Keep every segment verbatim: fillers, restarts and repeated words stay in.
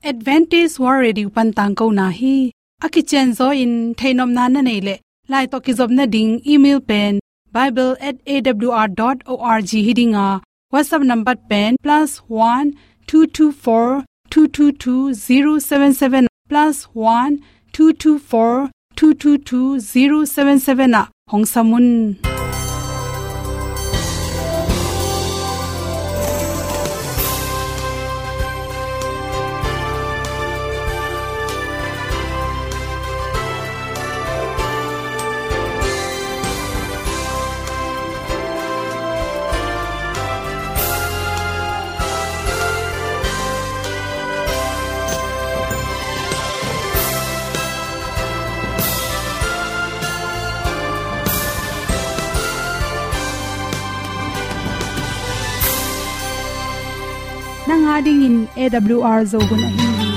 Adventist World Radio pan tangkona hi. A kicianzaw in theihnopna na neih leh, lai tawh kizopna ding email pen bible at A W R dot org hi ding a, WhatsApp number pen plus one two two four two two two zero seven seven, plus one two two four two two two zero seven seven ah hong sam un. Nang a dingin A W R Zo hun ahi hi.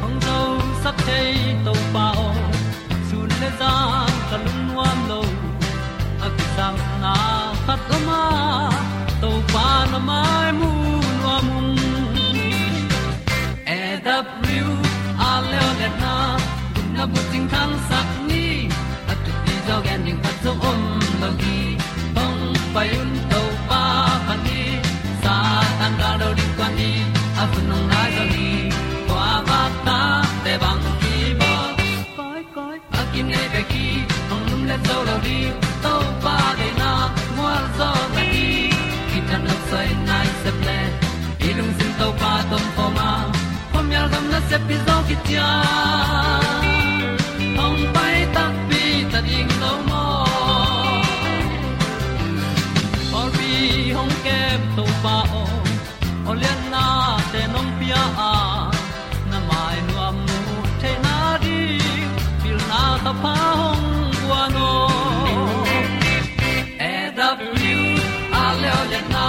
Hong zosak thei Topa aw, sun le zan ka lungnuam lo. A kisapna khat om a, Topa na mai mu nuam ung. A W R Leolehna, gupna bucing thangsak ni, a thupi zaw gen ding khat zong om lo hi. Hong pai un Topa phat ni, Satan gal do ding tuan ni, a hun hong nai zaw hi. Kua vak tate bang kibawl. Koi, koi, a kinei bek hi, hong lumlet zo lo ding, Topa deihna mual zaw na hi. Kithanuam soi nai sep le, i lungsim Topa tawh om khawm a, khuamial gam nasep hi zaw khit ciang, hong pai takpi ta ding lo maw. Pawlpi hong kem Topa aw, awlianna te nong pia a, na mai nuam mu theihna ding, pilna thapha hong guan aw. A W R Leolehna,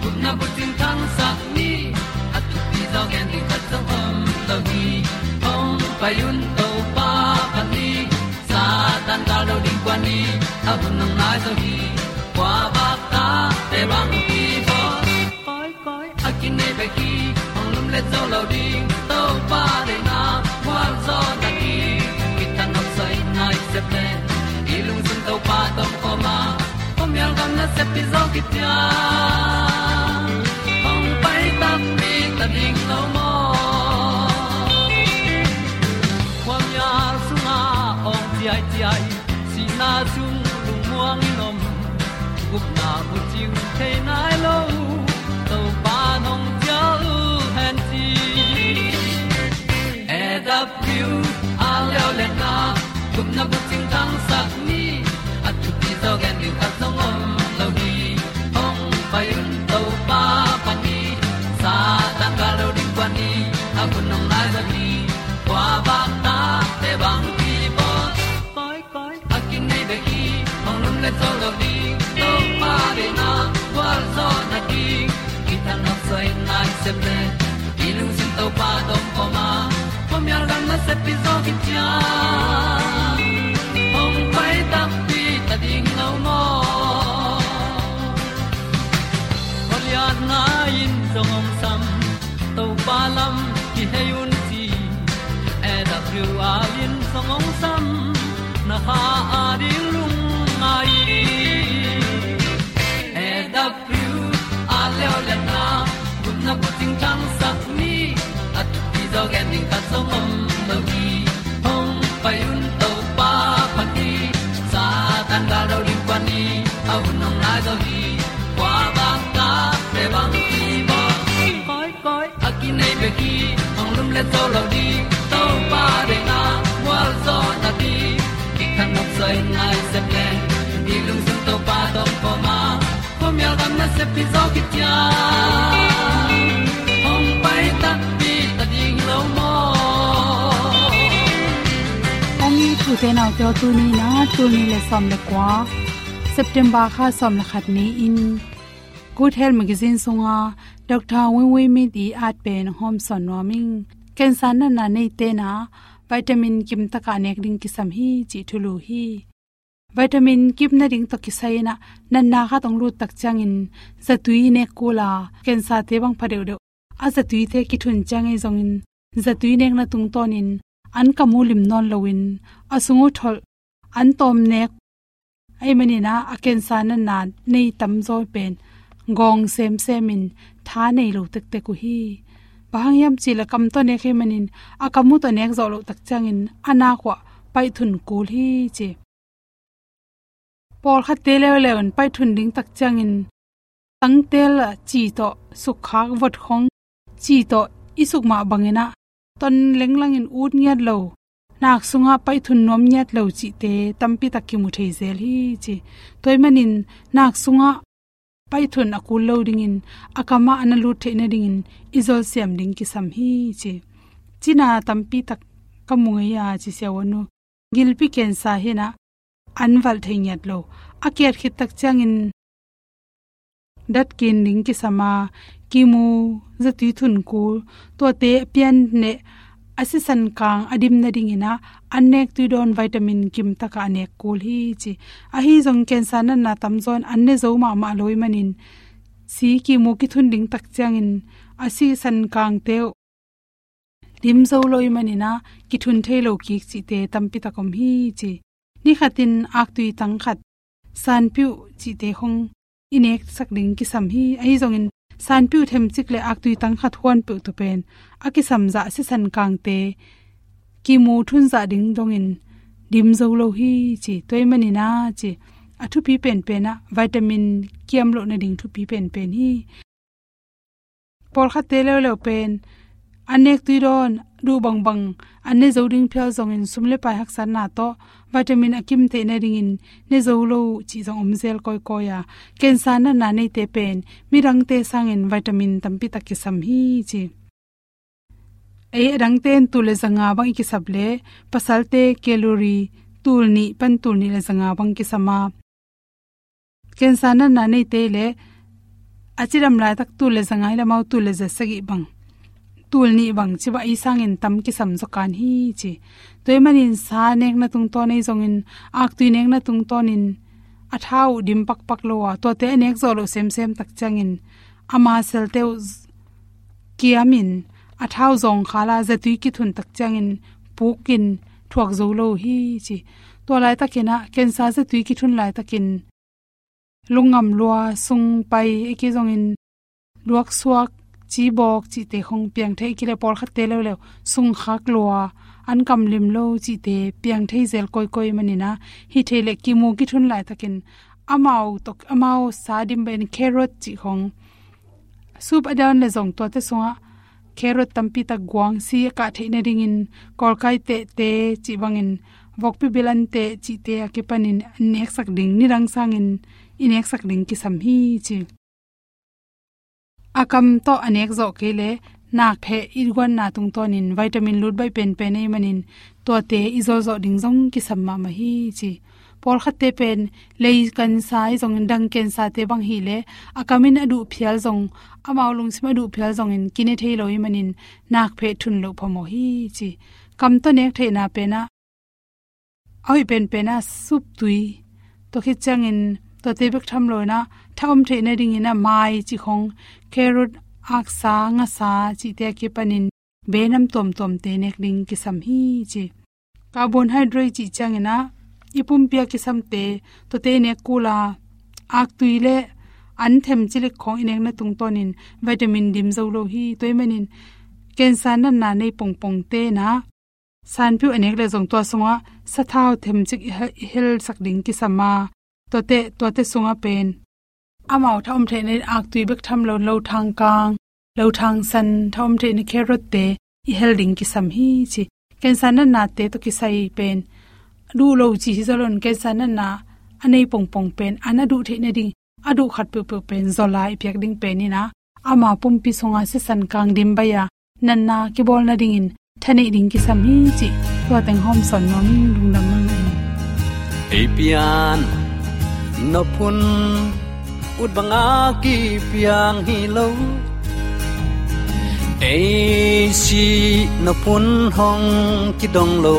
gupna bucing thangsak ni, a thupi zaw gen ding khat zong om lo hi. Hong pai un Topa phat ni, Satan gal do ding kuan ni, a hun hong nai zaw hi. Kua vak tate bang kibawl. Koi, koi, a kinei bek hi, hong lumlet zo lo ding, Topa deihna mual zaw na hi. Kithanuam soi nai sep le, i lungsim Topa tawh om khawm a, khuamial gam nasep hi zaw khit ciang, hong pai takpi ta ding lo maw. Khuamial sungah awng ciaiciai, sihna sung lungmuang in om, gupna bucing thei nai lo, Topa nong cial hen ci. A W R Leolehna, gupna bucing thangsak ni, a thupi zaw gen ding khat zong om lo hi. Hong pai un Topa phat ni, Satan gal do ding kuan ni, a hun hong nai zaw hi. Kua vak tate bang kibawl. Koi, koi, a kinei bek hi, hong lumlet zo lo ding, Topa deihna gualzawhna ding. Kithanuam soi nai sep le, i lungsim Topa tawh om khawm a, khuamial gam nasep hi zaw khit ciang, hong pai takpi ta ding lo maw. Khualiatna in zong hong sam, Topa lam kihei un ci. A W R in zong hong sam, na kha a ding lungngai. A W R Leolehna, gupna bucing thangsak ni, a thupi zaw gen ding khat zong om lo hi. Hong pai un Topa phat ni, Satan gal do ding kuan ni, a hun hong nai zaw hi. Kua vak tate bang kibawl. Koi, koi, a kinei bek hi, hong lumlet zo lo ding, Topa deihna gualzawhna ding. Kithanuam soi nai sep le, i lungsim Topa tawh om khawm a, khuamial gam nasep hi zaw khit ciang, hong pai takpi ta ding lo maw. Hong it ute naute aw, tuni in ah, tul nih le sawm le kua, September kha sawm le khat ni-in, Good Health Magazine sunga Doctor Win Win Myint i at pen hong hawmsawn nuam ing. Cancer natna neite in ah vitamin kimtak a nek ding kisam hi cih thulu hi. Vitamin kip nading tawh kisai in ah natna khat hong lut tak ciangin zatui nek kul a, cancer-te bang pha deuhdeuh a zatuite kithun ciang ahi zongin zatui nekna tungtawnin an kam uh lim nawn loin a sung uh tholh an tawm nek ahih manin ah a cancer natna nei tamzaw pen gawng semsemin tha nei lo tektek uh hi. Bang hang hiam cih leh kam tawh nek ahih manin a kam uh tawh nek zawh loh tak ciangin a nak uah paihthun kul hi ci. Pawlkhatte leuleu in paihthun ding tak ciangin tangtel ah ci tawh sukkhak vot khong ci tawh i suk mah bangin ah ton lenglangin ut ngiat lo, nak sungah paihthun nuam ngiat lo cihte tampi tak kimu thei zel hi ci. Tua ahih manin nak sungah paihthun a kul lo dingin a kamah a na lut theih nadingin i zolsiam ding kisam hi ci. Cina tampi tak ka mu ngei a ci siavuan uh. Gilpi cancer hi in ah an valh thei ngiat lo. A kiat khit tak ciangin dat kin ding kisam a, kimu, zatui thun kul, tuate a pian neh a sisan kang a dim nadingin ah an nek tui dawn vitamin kim takah a nek kul hi ci. Ahi zong cancer natna tamzaw in an ne zo mahmah lo ahih manin si kimu kithun ding tak ciangin a sisan kangte uh dim zo lo ahih manin ah kithun thei lo kik cihte tampi tak om hi ci. Ni khatin aktui tang khat, sanpiuh cihte khong i neksak ding kisam hi. Ahi zongin sanpiuh themcik le aktui tang khat huan peuh tawh pen a kisam zah sisan kangte kimu thun zah ding dongin dim zo lo hi ci. Tua ahih manin ah ci, a thupi penpen ah vitamin kiam loh nading thupi penpen hi. Pawlkhatte leuleu pen an nek tui dawn, duh bangbang an ne zo ding phial zongin sum le pai haksatna tawh vitamin a kim theih nadingin ne zo lo uh cih zong om zel kawikawi a, cancer natna neite pen midangte sangin vitamin tampi tak kisam hi ci. Ei, a dangte in tul le zanga bang i kisap leh pasalte calorie tul nih pan tul nih le zanga bang kisam a, cancer natna neite le a cidam laitak tul le zanga hi leh amau tul le za sagih bang, tul nih bang ci bang ei sangin tam kisam zaw kan hi ci. Tua ahih manin sa nekna tungtawn ahi zongin aktui nekna tungtawnin a thau uh dim pakpak lo a, tuate a nek zawh loh semsem tak ciangin a muscle-te uh kiamin a thau zawng khal a, zatui kithun tak ciangin pukin thuak zo lo hi ci. Tua laitakin ah cancer zatui kithun laitakin lungngam lua, sung pai, a kizongin luaksuak, cibawk cihte khong piang thei, a kile pawlkhatte leuleu sung khak lua, an kam lim lo cihte piang thei zel kawikawi manin ah, hi thei leh kimu kithun laitakin amau tawh, amau sa dim bangin carrot cih khong, soup a dawn leh zong tuate sungah carrot tampi tak guang, si a kah theih nadingin kawlkai tehte cih bangin vokpi bilan teh cihte a kipanin an neksak ding, nidang sangin i neksak ding kisam hi ci. A kam tawh a nek zawh kei leh nakpheh i guanna tungtawnin vitamin lut baih penpen ahih manin tuate i zawlzawh ding zong kisam mahmah hi ci. Pawlkhatte pen lei cancer ahi zongin dang cancer-te bang hi leh a kamin a duh phial zong, amau lungsim a duh phial zongin kine thei lo ahih manin nakpheh thun loh phamawh hi ci. Kam tawh nek theihna pen ah a hoih penpen ah soup tui, tua khit ciangin tuate bek tham lo in ah tha om theih nadingin ah mai cih khong, carrot, aksa, ngasa cihte a kipanin be nam tuamtuamte nek ding kisam hi ci. Carbohydrate cih ciangin ah i pumpi a kisamte, tuate i nek kul a, aktui le an themcik khong i nekna tungtawnin vitamin dim zo lo hi. Tua ahih manin cancer natna nei pongpongte in ah sanpiuh a nek leh zong tua sungah sathau themcik i he-, i helsak ding kisam a, tuate, tuate sungah pen amau tha om theihna in aktui bek tham lo in lothang kang, lothang san, tha om theihna carrot-te i hel ding kisam hi ci. Cancer natnate tawh kisai pen duh lo ci hi zaw lo in, cancer natna a nei pongpong pen an a duh theih nading a duh khat peuhpeuh pen zaw lai i piak ding pen in ah, ama pumpi sungah sisan kang dim baih a, natna kibawl nadingin tha neih ding kisam hi cih tua teng hawm sawn nuam ing. Lungdam mahmah ing. Ei pian nop hun ut banga kipiang hi lo, ei sih nop hun hong kidong lo.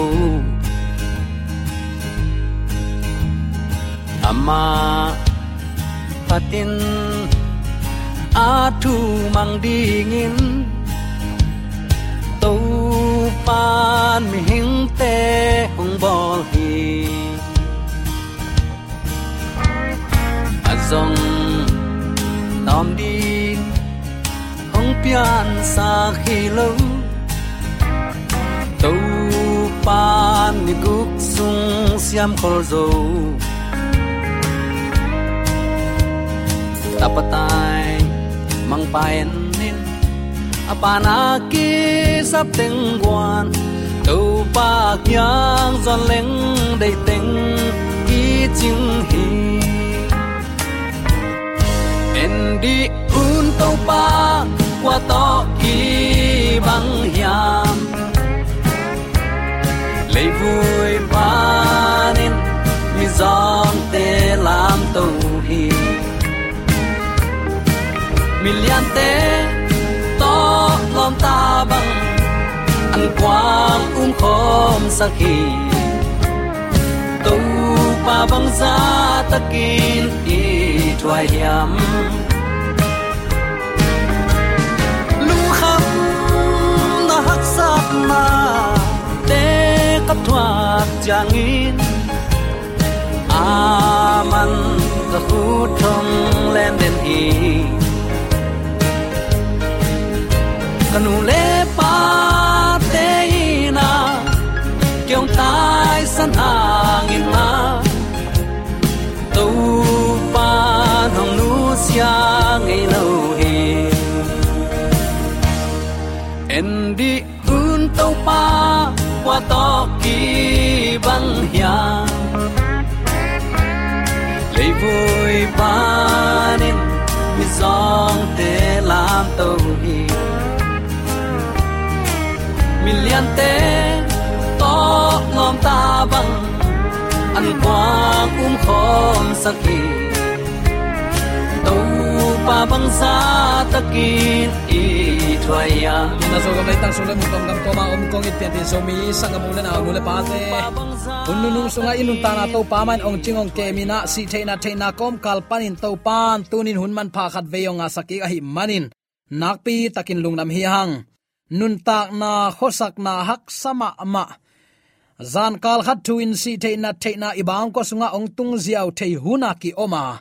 Amah phatin a thu mang dingin Topan mihingte hong bawl hi. A zong tawm ding hong piansak hi lo. Topan ni guk sung siam khol zo. Tapa tai mangpa en in, a pana kisap teng guan, Topa kiang zuan leng deih teng kicing hi. En dih un, Topa kua tawh kibang hiam? Leivui panin mizawngte lamto hi. Miliante tawh lawmta bang an kuang umkhawmsak hi. Topa bangzah takin i thuai hiam? Lungkhamna haksatnate ka thuak ciangin, aman ka khut hong len den hi. Ka nu le pate in ah kei hong taisan hangin ah, Topa hong nusia ngei lo hi. En dih un, Topa kua tawh kibang hiam? Leivui panin mizawngte lamto hi. Miliante tawh lawmta bang an kuang umkhawmsak hi. Topa bangzah takin i thuai hiam? Na Zogam leitang sung le mun, Tonggam kawma om kong it pianpih Zomi sanggam u le nau, nu le pate, hun nunung sungah i nuntakna Topa mah in hong cing hong kem in ah, sih theihna theihna kawmkal panin Topan tunin hun manpha khat vei hong ngahsak kik ahih manin nakpi takin lungdam hi hang. Nuntakna khuasakna haksa mahmah, zankal khat thu in sih theihna theihna i bangkua sungah hong tung ziau thei hun a ki-om a,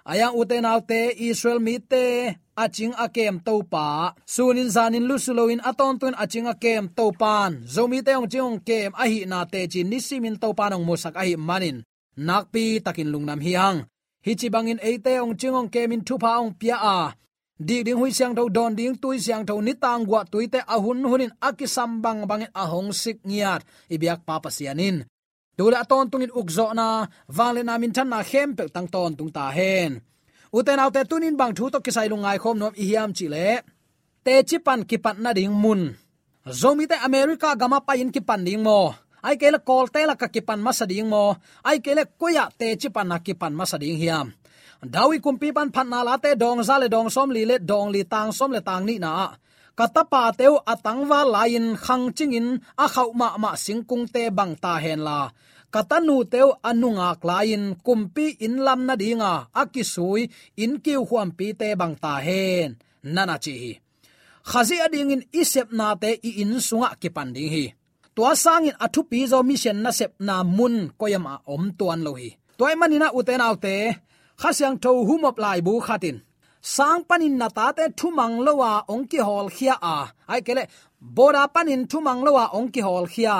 a yang ute naute, Israel mite a cing a kem Topa, sunin zanin lusu loin a tawntungin a cing a kem Topan Zomite hong cing hong kem ahihna teci nisimin Topan hong musak ahih manin nakpi takin lungdam hi hang. Hih ci bangin eite hong cing hong kemin thupha hong pia a, dik ding huih siangtho, dawn ding tui siangtho, nitang guah tuite a hun hunin a kisam bangbangin a hong sik ngiat i biakpa Pasian in tu le a tawntungin ukzawhna, vangliatna, minthanna khempeuh tang tawntung ta hen. Ute naute, tunin bang thu tawh kisai lungngai khawm nuam i hiam cih leh, teci pan kipat nading mun, Zomite America gamah pai-in kipan ding maw? Ahih kei leh Kawlte lakah kipan masa ding maw? Ahih kei leh koi-ah teci panna kipan masa ding hiam? David kumpipa'n Phatna Late dawng za le dawng sawmli le dawng li, tang sawm le tang nihna ah, ka tapate uh a tangval lai-in khangcingin a khauh mahmah singkungte bang ta henla, ka tanute uh a nungak lai-in kumpi inn lam nadinga a kisui inn kiukhuampite bang ta hen, na na ci hi. Khazih adingin i sepnate i inn sungah kipan ding hi. Tua sangin a thupi zaw mission nasepna mun koi-ah mah om tuan lo hi. Tua ahih manin ah ute naute, Kha Siangtho humop laibu khat in, sang panin na tate thumang lo-a hong kihawlkhia a, ahih kei leh border panin thumang lo-a hong kihawlkhia,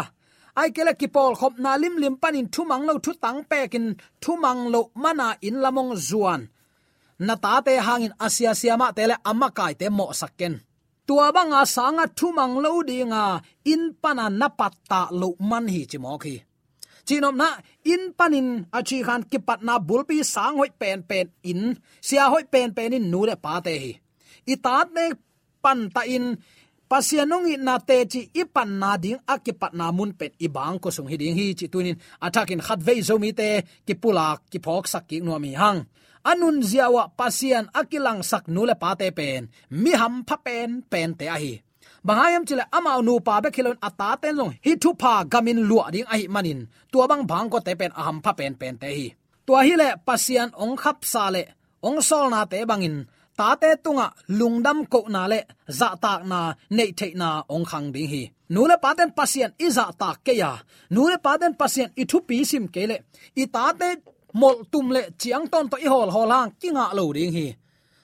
ahih kei leh kipawlkhopna limlim panin thumang lo, thutang pekin thumang loh mana inn lam hong zuan na tate hangin a siasia mahte le a makaite mawhsak ken. Tua banga sanga thumang lo dinga inn pana na pattah loh man hi, ci mawk hi. Cihnopna, inn panin a cih khan kipatna bulpi sang hoih penpen in, sia hoih penpen in nu le pate hi. I tate pantahin Pasian hong itna teci i panna ding a kipatna mun pen i bangkua sung hi ding hi, cih tunin a thakin khatvei Zomite kipulak kiphawksak kik nuam hi hang. A nunzia uh ah Pasian a kilangsak nu le pate pen mi hampha penpente ahi. Bang hang hiam cih leh amau nupa bek hi loin a taten zong hih thupha gamin luah ding ahih manin tua bang bangkuate pen a hampha penpente hi. Tua hileh Pasian hong khapsa le hong sawlnate bangin tate tungah lungdam kohna le zahtakna neih theihna hong khang ding hi. Nu le paten Pasian i zahtak kei a, nu le paten Pasian i thupi sim kei leh i tate molhtum le ciangtawn tawh i hawlhawl hang kingah lo ding hi.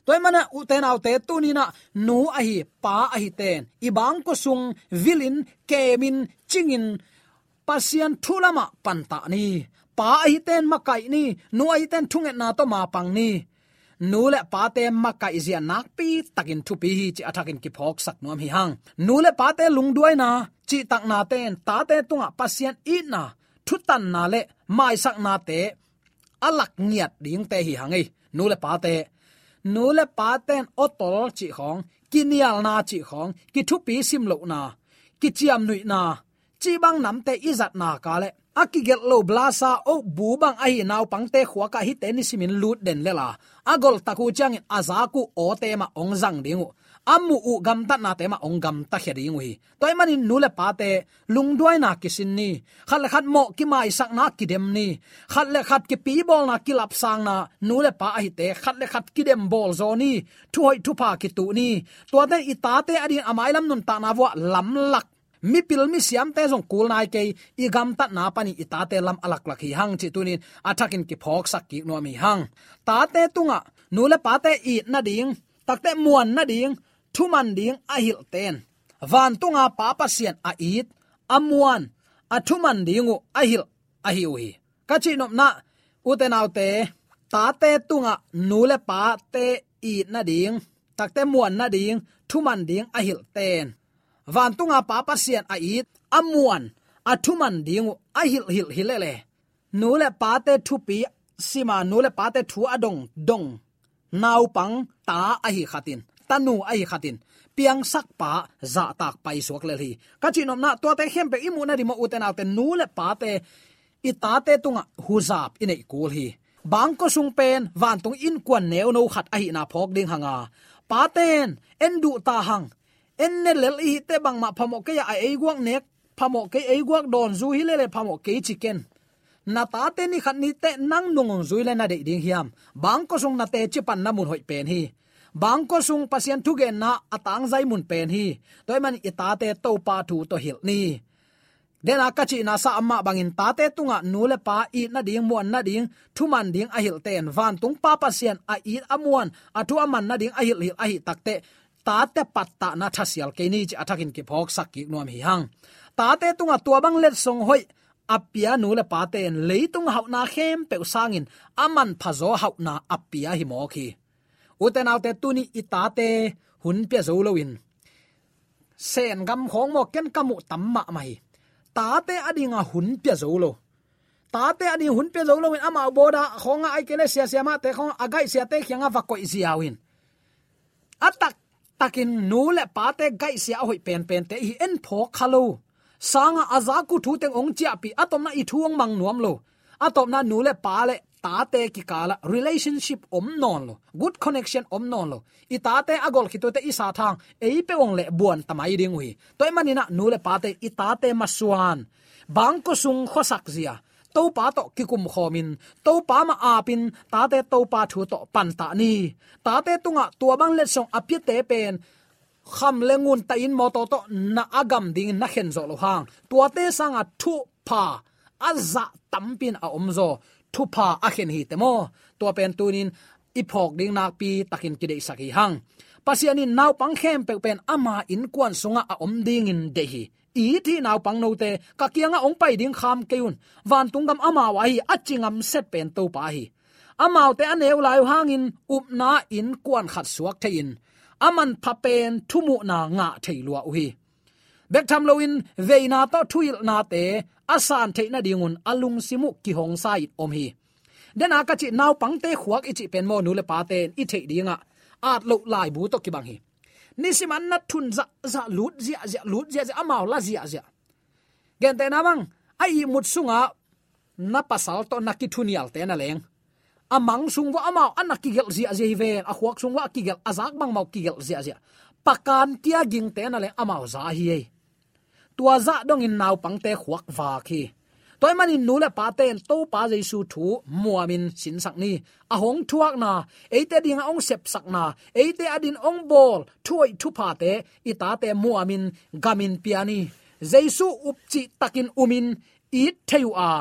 Tua ahih manin ute naute, tuni-in ah nu ahi pa ahi ten i bangkua sung vilin, kemin, cingin Pasian thu lamah pantah ni. Pa ahi ten makaih ni. Nu ahi ten thungetna tawh mapang ni. Nu le pate makaihzia nakpi takin thupi hi cih a thakin kiphawksak nuam hi hang. Nu le pate lungduaina cihtaknate in tate tungah Pasian itna, thutanna le maisaknate a lak ngiat dingte hi hang ei. Nu le pate, nu le paten awtol cih khawng, kinialna cih khawng, kithupi simlohna, kiciamnuihna, cih bang namte i zatna ka le a kigelh lo blasa oh bu bang ahi naupangte khuakah hihte nisimin lut den lel a, a golhtak uh ciangin a zak uh awte mah hong zang ding uh, a muh uh gamtatnate mah hong gamtakhia ding uh hi. Tua ahih manin nu le pate lungduaina kisin ni. Khat le khat mawh kimaisakna kidem ni. Khat le khat kipibawlna kilapsangna, nu le pa ahite khat le khat kidem bawlzaw ni. Thuhoih thupha kituh ni. Tuate i tate adingin a mailam nuntakna vuah lamlak, mipil misiamte zong kul nai kei, i gamtatna panin i tate lam a laklak hi hang cih tuni-in a thakin kiphawksak kik nuam hi hang. Tate tungah nu le pate it nading, takte muan nading, thuman ding a hilhte in vantunga Pa Pasian a it, a muan, a thuman ding uh a hilh ahi uh hi. Ka cihnopna, ute naute, tate tungah nu le pate it nading, takte muan nading, thuman ding a hilhte in vantunga Pa Pasian a it, a muan, a thuman ding uh a hilhhilh hi lele, nu le pate thupi sima, nu le pate thu a dongdong naupang ta ahi khatin, tanu ahi khatin, piangsakpa zahtak paisuak lel hi. Ka cihnopna, tuate khempeuh i muh nading mah, ute naute, nu le pate, i tate tungah huzap i neih kul hi. Bangkua sung pen vantung innkuan neuno khat ahihna phawk ding hanga, paten en duh ta hang, en ne lel i hite bangmah phamawh kei a, a ei guak nek phamawh kei, ei guak dawn zu hi lele phamawh kei ci ken. Na tate ni khat ni teh nang nung hong zui le na deih ding hiam? Bangkua sung na teci panna mun hoih pen hi. Bangkua sung Pasian thugenna a tangzai mun pen hi. Tua ahih manin i tate Topa thu tawh hilh ni. Dena ka cihna sa amah bangin tate tungah nu le pa it nading, muan nading, thuman ding a hilhte in vantung Pa Pasian a it, a muan, a thu a man nading a hilhhilh ahi takteh tate pattahna thasial kei ni cih a thakin kiphawksak kik nuam hi hang. Tate tungah tua bang letsong hoih a pia nu le pate in leitung hauhna khempeuh sangin a manphazaw hauhna a pia hi mawk hi. Ute naute, tuni i tate hun pia zo loin, Sen gam khawng maw, ken ka muh tam mahmah hi. Tate adinga hun pia zo lo. Tate ading hun pia zo loin amau bawda khawngah ahih kei leh siasia mahte khawngah a gaihsiate kiangah va koih ziau in, a taktakin nu le pate gaihsia a hoih penpente i hi en phawk kha lo. Sangah a zak uh thu teng hong ciahpih, a tawpna i thu hong mang nuam lo. A tawpna nu le pa le tate kikalah relationship om nawn lo, good connection om nawn lo. I tate a golh khit uh teh i sat hang ei peuh hong leh buan ta mai ding uh hi. Tua ahih manin ah nu le pate, i tate masuan, bangkua sung khuasak zia, Topa tawh kikum khawmin, Topa mah apin, tate Topa thu tawh pantah ni. Tate tungah tua bang letsong a piate pen kham le ngun tahin mawtaw tawh na a gam dingin na khen zawh loh hang, tuate sangah thupha a zah tampi in a omzaw, thupha a khen hi teh maw. Tua pen tuni-in i phawk ding nakpi takin kideihsak hi hang. Pasian in naupang khempeuh pen ama innkuan sungah a om dingin deih hi. It hih naupang note, ka kiangah hong pai ding kham kei un. Vantung gam amau ahi, a ci ngam set pen Topa hi. Amaute a neu lai uh hangin upna innkuan khat suak thei-in, a manpha pen thumuhna ngah thei lua uh hi. Bek tham loin veina tawh thuhilhnate a san theih nadingun a lungsim uh kihongsa in om hi. Dena ka cih naupangte khuak i cih pen maw, nu le pate in i theih dingah at loh laibu tawh kibang hi. Nisim an na thun zahzah, lut ziahziah, lut ziahziah, amau la ziahziah. Gentehna bang, a ihmut sungah na pasal tawh na kithunialte na leng, a mang sung vuah amau a na kigelh ziahziah hi ven, a khuak sung vuah a kigelh, a zak bangmah kigelh ziahziah. Pakan kia gingte na leng amau za hi ei. Tua zah dongin naupangte khuak vak hi. Tua ahih manin nu le pate in Topa Jesu thu muamin sinsak ni. A hong thuakna, eite dinga hong sepsakna, eite adin hong bawl thu hoih thuphate i tate muamin gamin pia ni. Jesu upcih takin umin it thei uh a,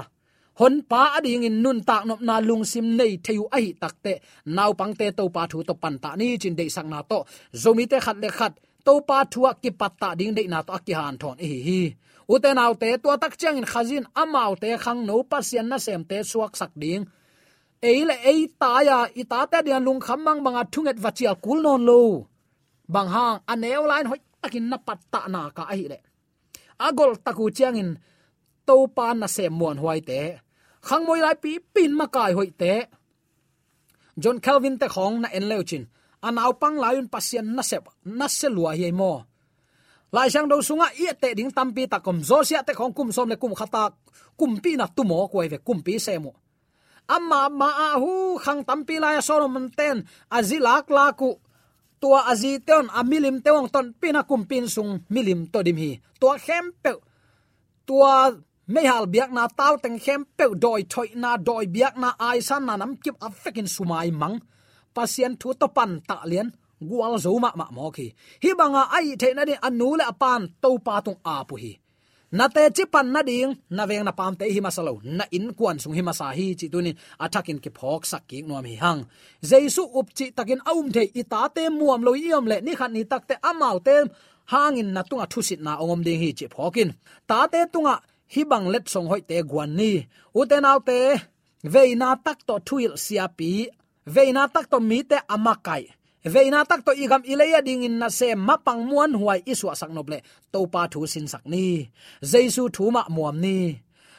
Honpa adingin nuntak nopna lungsim nei thei uh ahih takteh, naupangte Topa thu tawh pantah ni, ci-in deihsakna tawh Zomite khat le khat Topa thu ah kipattah ding deihna tawh a kihanthawn ihi hi. Ute naute, tua tak ciangin Khazih in amaute khangno Pasian nasemte suaksak ding, ei le ei tai-a i tate dinga lungkham mangbanga thunget va cial kul nawn lo. Bang hang, a neu lai-in hoihtakin na pattah nak a ahih leh, a golhtak uh ciangin Topa nasem muanhuaite, khangmoi lai pipi in makai hoihte, John Calvin te khawng na en leucin, a naupang lai-un Pasian nasep, nasia lua hi ei maw? Laisiangtho sungah i etteh ding tampi tak om. Josiah te khawng kum sawm le kum khat a, kumpi na tu mawk uh hi ve, kumpi sem uh. Amah mah ah hu khang tampi lai-a Solomon ten a zi laklak uh, tua a zite un a milimte uh hong tonpih in a kumpi inn sung milim tawh dim hi. Tua khempeuh, tua meihal biakna tauteng khempeuh, dawi thoihna, dawi biakna, aisanna, namkip a vekin sumai mang, Pasian thu tawh pantah lian, gualzo mahmah mawk hi. Hih banga a hih theih nading a nu le a pa'n Topa tung ap uh hi. Na teci pan nading, na veng na pamte hi masa lo, na innkuan sung hi masa hi, cih tuni-in a thakin kiphawksak kik nuam hi hang. Jesu upcih takin a um thei i tate muam lo i om leh, ni khat ni takteh amaute hangin na tungah thusitna hong om ding hi, cih phawk in. Tate tungah hih bang letsong hoihte guan ni. Ute naute, veina tak tawh thuhilh siapi, veina tak tawh mite a makaih, veina tak tawh i gam i lei adingin nasem mapang muanhuai i suahsak nop leh, Topa thu sinsak ni. Jesu thu mah muam ni.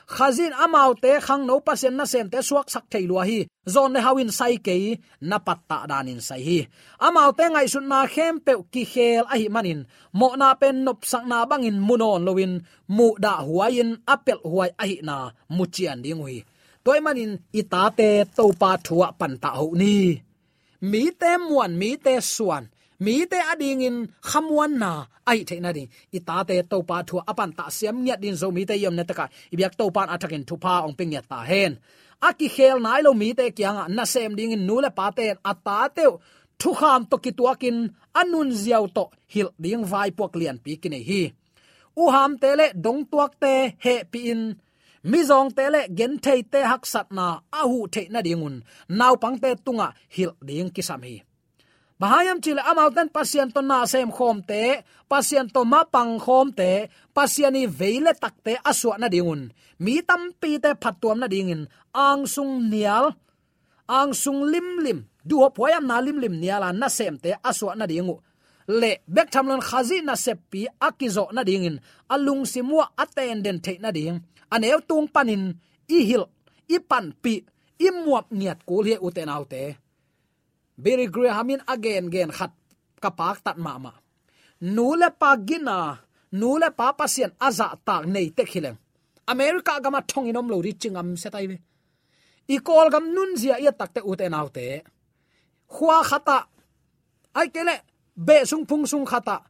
Khazih in amaute khangno Pasian nasemte suaksak thei lua hi. Zawn le hau in sai kei, na pattah danin sai hi. Amaute ngaihsutna khempeuh kikhel ahih manin, mawhna pen nopsakna bangin mu nawn loin, muhdahhuai-in a pelhhuai ahihna mu cian ding uh hi. Tua ahih manin i tate Topa thu ah pantah hoh ni. Mite muan, mite suan, mite adingin khamuanna a hih theih nading, i tate Topa thu ah a pantah siam ngiat dingin Zomite i omna takah i biak Topa in a thakin thupha hong pia ngiat ta hen. A kikhel nai lo mite kiangah nasem dingin nu le pate in a tate uh thukham tawh kituakin a nunzia uh tawh hilh ding vaipuak lianpi kinei hi. Uhamte le dongtuakte hehpih in, mizawngte le gentheite haksatna a huh theih nadingun naupangte tungah hilh ding kisam hi. Bang hang hiam cih leh amaute in Pasian tawh nasem khawmte, Pasian tawh mapang khawmte, Pasian ii vei le takte a suah nadingun mi tampite phattuam nadingin angsung nial, angsung limlim, duhhuap huaihamna limlim nial a nasemte a suah nading uh le bek tham loin Khazih naseppi a kizawh nadingin a lungsim uh ah a tenden theih nading a neu tung panin i hilh, i panpih, i muap ngiat kul hi, ute naute. Billy Graham in a gengen khat ka paktat mahmah. Nu le pa gina, nu le pa Pasian a zahtak nei tek hi leng, America gamah thongin om lo ding ci ngamsia tai ve. I Kawlgam nunzia i et takteh, ute naute, khua khatah, ahih kei leh beh sung phung sung khatah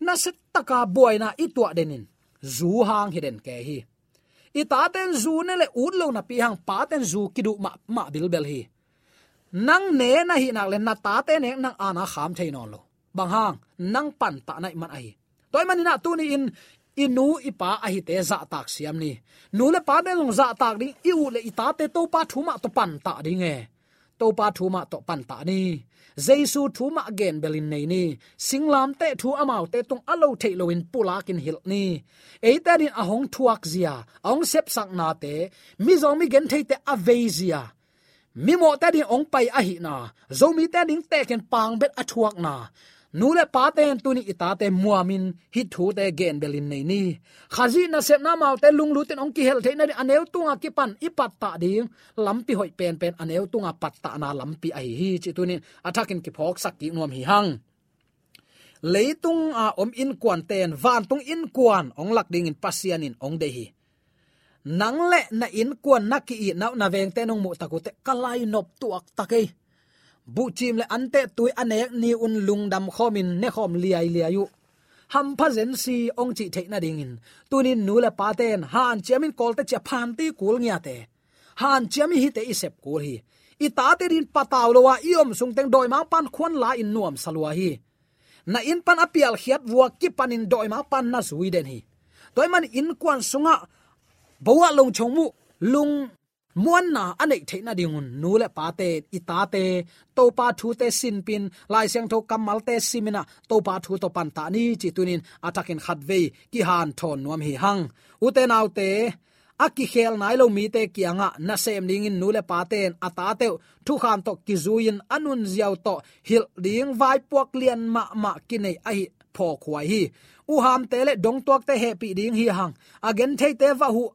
nasia taka buaina i tuah denin zu hang hi den kei hi. I taten zu ne le ut lo napi hang paten zu kiduh mahmah bilbel hi. Nang ne na hih nak le na tate nek nang ana kham thei nawn lo. Bang hang, nang pantah na hih man ahi. Tua ahih manin ah tuni-in i nu i pa ahite zahtak siam ni. Nu le pate zong zahtak ding i uh le i tate Topa thu mah tawh pantah ding e. Topa thu mah tawh pantah ni. Jesu thu mah genbelin nei ni. Singlamteh thu amaute tung a lo theih loin pulakin hilh ni. Eite adin a hong thuak zia, a hong sepsaknate, mizawng mi gentheite a vei zia, mimawhte adin hong pai ahihna, Zomite ading tekin pangbet a thuakna, nu le pate in tuni i tate muamin hih thute genbelin nei ni. Khazih nasepna amaute lunglutin hong kihelh theih nadin a neu tunga kipan i pattah ding lampi hoih penpen a neu tunga pattahna lampi ahi hi, cih tuni-in a thakin kiphawksak kik nuam hi hang. Leitunga om innkuante in vantung innkuan hong lak dingin Pasian in hong deih hi. Nang le na innkuan, na ki-itna uh, na vengte nong muh tak uh teh ka lainop tuaktak ei. Buhcim le antehtui a nek ni-un lungdam khawmin nekhawm liailiai uh. hampha zensi hong cih theih nadingin, tunin nu le pate in hanciamin kawlte cia phanti kul ngiate, hanciamin hihte i sep kul hi. I tate din patau lo a i om sungteng dawimangpa'n khuan la-in nuamsa lua hi. Na inn pan a pialkhiat vua kipanin dawimangpa'n na zui den hi. Tua ahih manin innkuan sungah bawlung chong muh, lungmuanna a neih theih nadingun nu le pate in i tate Topa thute sinpih in, Lai Siangtho kammalte simin ah Topa thu tawh pantah ni, ci tunin a thakin khatvei kihanthawn nuam hi hang. Ute naute, a kikhel nai lo mite kiangah nasem dingin nu le pate in a tate uh thukham tawh kizui-in a nunzia uh tawh hilh ding vaipuak lian mahmah kinei ahih phawkhuai hi. Uhamte le dongtuakte hehpih ding hi hang. A gentheite va huh,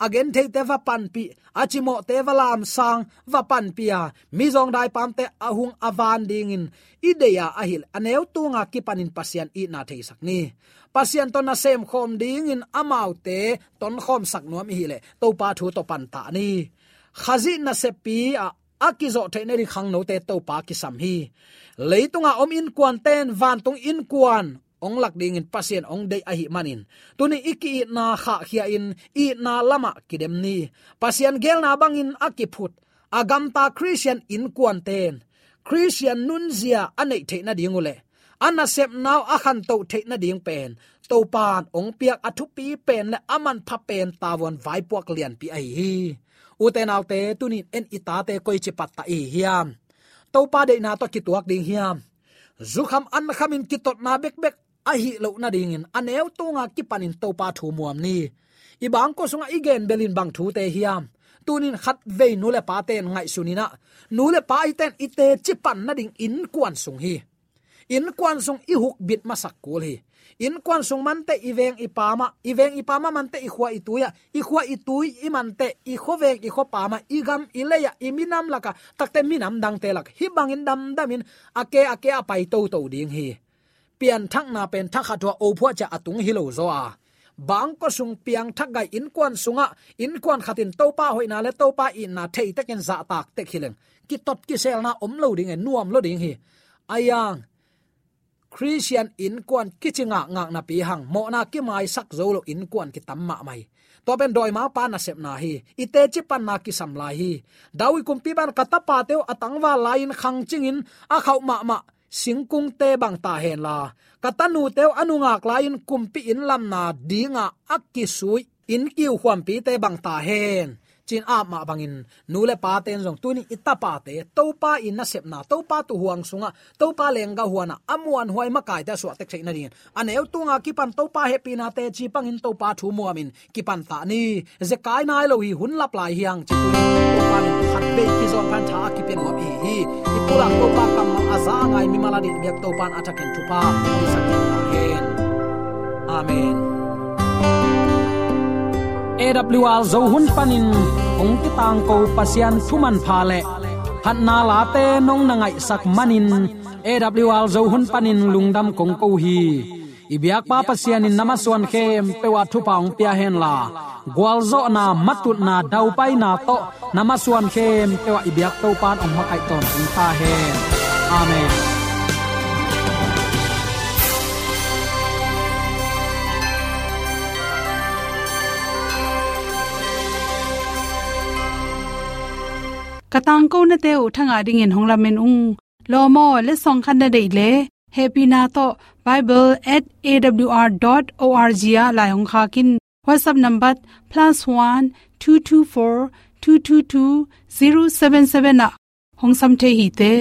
a gentheite va panpih, a cimawhte va lamsang, va panpih a, mizawngdai paamte a hung a van dingin i deih a, ahih leh a neu tunga kipanin Pasian itna theisak ni. Pasian tawh nasem khawm dingin amaute tonkhawmsak nuam i hih leh Topa thu tawh pantah ni. Khazih naseppi ah a kizawh theih nading khangnote Topa kisam hi. Leitunga om innkuante in vantung innkuan hong lak dingin Pasian hong deih ahih manin, tuni i ki-itna khahkhia-in itna lamah kidem ni. Pasian geelna bangin a kiphut a gamta Khristian innkuante in Khristian nunzia a neih theih nading uh leh a nasepna uh a khantoh theih nading pen Topa'n hong piak a thupi pen le a manpha pen tavuan vaipuak lianpi ahi hi. Ute naute, tunin en i tate koici pattah i hi hiam? Topa deihna tawh kituak ding hiam? Zukham ankhamin kitotna bekbek ahih loh nadingin a neu tunga kipanin Topa thu muam ni. I bangkua sungah i gen belin bang thute hiam? Tunin khatvei nu le pate in ngaihsun in ah, nu le pa i ten i teci pan nading innkuan sung hi. Innkuan sung i hukbit masak kul hi. Innkuan sung manteh i veng i paam ah, i veng i paam ah manteh i khua i tui ah, i khua i tui i manteh i khuaveng i khuapaam ah, i gam i lei ah, i minam lakah, takte minam dangte lak hih bangin damdamin a ke a ke a pai toto ding hi. Pianthakna pen thakhat uh a, ophuah ciang a tung hi lo zaw a. Bangkua sung piangthak gai innkuan sungah, innkuan khatin Topa hoihna le Topa itna thei tekin zahtak tek hi leng, kitot kiselna om lo ding e, nuam lo ding hi. Ahi hang Khristian innkuan kici ngakngak napi hang, mawhna kimaisak zo lo innkuan kitam mahmah hi. Tua pen dawimangpa nasepna hi. I teci panna kisam lai hi. David kumpipa'n ka tapate uh a tangval lai-in khangcingin a khauh mahmah singkungte bang ta hen la, ka tanute uh a nungak lai-in kumpi inn lamna dinga a kisui inn kiukhuampite bang ta hen, ci-in ap mah bangin nu le pate in zong tunin i tapate Topa i nasepna, Topa tuuhuang sungah, Topa lenggah huanah a muanhuai makaite a suahtek theih nadingin a neu tunga kipan Topa hehpihna teci pangin Topa thu muamin kipantah ni. Zekai nai lo hi, hun lap lai hi hang, ci tunin Topa min khatvei kizawn phan tha a kipia nuam i hi hi. I pulak Topa kammal a za a ngai mimal a ding biak Topa'n a thakin thupha hong hisak ta hen. Amen. A W R Zo hun panin hong kitangko Pasian thu manpha le phatna late nong na ngaihsak manin A W R Zo hun panin lungdam kong ko hi. I biakpa Pasian in na masuan khempeuh ah thupha hong pia hen la, gualzawhna, matutna, daupaina tawh na masuan khempeuh ah i biak Topa'n hong makaih tawntung ta hen. Amen. Ka tangkonate uh thangah dingin hong lamen ung. Lawm aw, letsong khat na deih leh, hehpihna tawh bible at A W R dot O R G ah lai hong khak in. WhatsApp number plus one two two four two two two zero seven seven ah hong sam thei hi te.